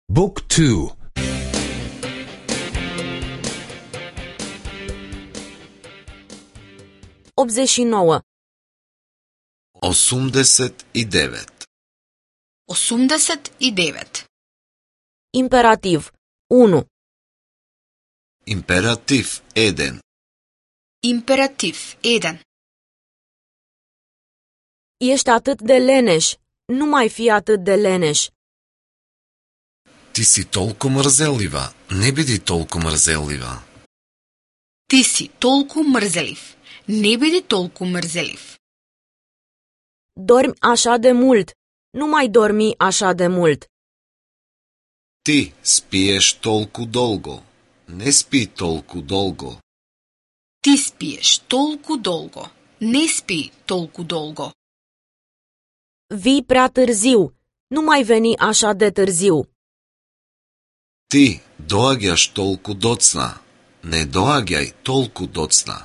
Book 2. 89. 89. 89. Imperativ 1. Императив 1. Императив 1. Ești atât de leneș. Nu mai fi atât de leneș. Ти си толку мрзелива. Не биди толку мрзелива. Ти си толку мрзелив. Не биди толку мрзелив. Dormi așa de mult. Nu mai dormi așa de mult. Ти спиеш толку долго. Не спи толку долго. Ти спиеш толку долго. Не спи толку долго. Vii prea târziu. Nu mai veni așa de târziu. Ти доаѓаш толку доцна. Не доаѓај толку доцна.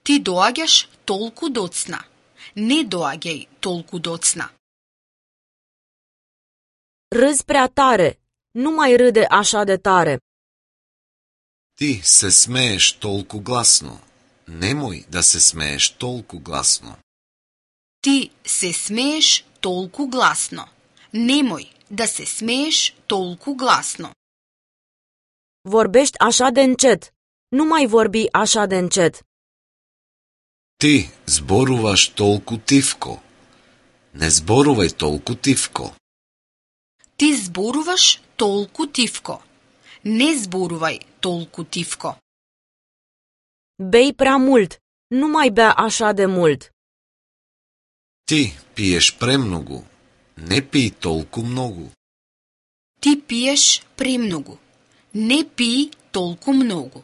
Ти доаѓаш толку доцна. Не доаѓај толку доцна. Râzi prea tare. Nu mai râde așa de tare. Ти се смееш толку гласно. Немој да се смееш толку гласно. Ти се смееш толку гласно. Немој да се смееш толку гласно. Vorbești așa de încet. Nu mai vorbi așa de încet. Ти зборуваш толку тивко. Не зборувај толку тивко. Ти зборуваш толку тивко. Не зборувај толку тивко. Bei prea mult. Nu mai bea așa de mult. Ти пиеш премногу. Не пий толку многу. Ти пиеш премногу. Не пий толку многу.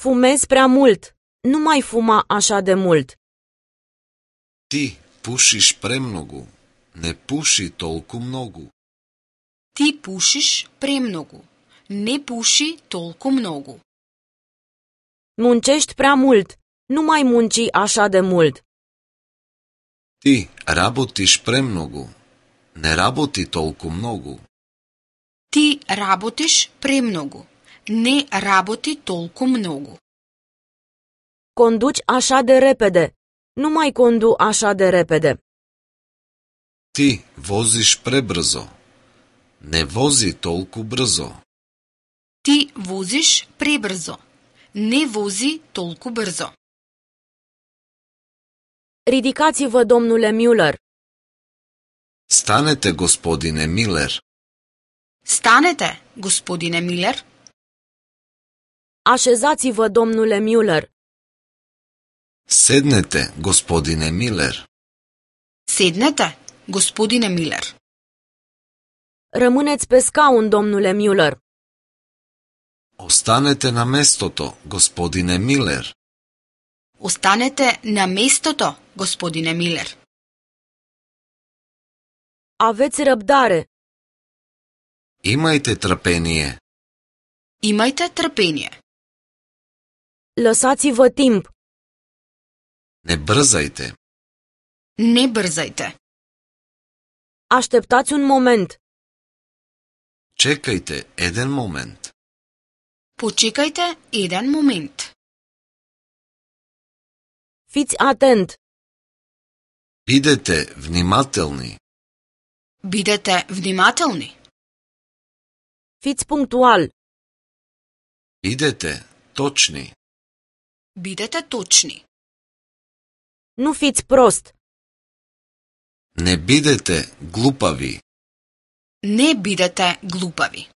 Fumezi prea mult. Nu mai fuma așa de mult. Ти пушиш премногу. Не пуши толку многу. Ти пушиш премногу. Не пуши толку многу. Muncești prea mult. Nu mai munci așa de mult. Ти работиш премногу. Не работи толку многу. Ти работиш премногу. Не работи толку многу. Conduci așa de repede. Nu mai condu așa de repede. Ти возиш пребрзо. Не вози толку брзо. Ти возиш пребрзо. Не вози толку брзо. Ridicați-vă, domnule Müller. Станете, господине Милер. Станете, господине Милер. Așezați-vă, domnule Müller. Седнете, господине Милер. Седнете, господине Милер. Rămâneți pe scaun, domnule Müller. Останете на местото, господине Милер. Останете на местото, господине Милер. Aveți răbdare. Имајте трпение. Имајте трпение. Lăsați-vă timp. Не брзајте. Не брзајте. Așteptați un moment. Чекајте еден момент. Почекајте еден момент. Fiți atent. Бидете внимателни. Бидете внимателни. Fiți punctual. Бидете точни. Бидете точни. Nu fiți prost. Не бидете глупави. Не бидете глупави.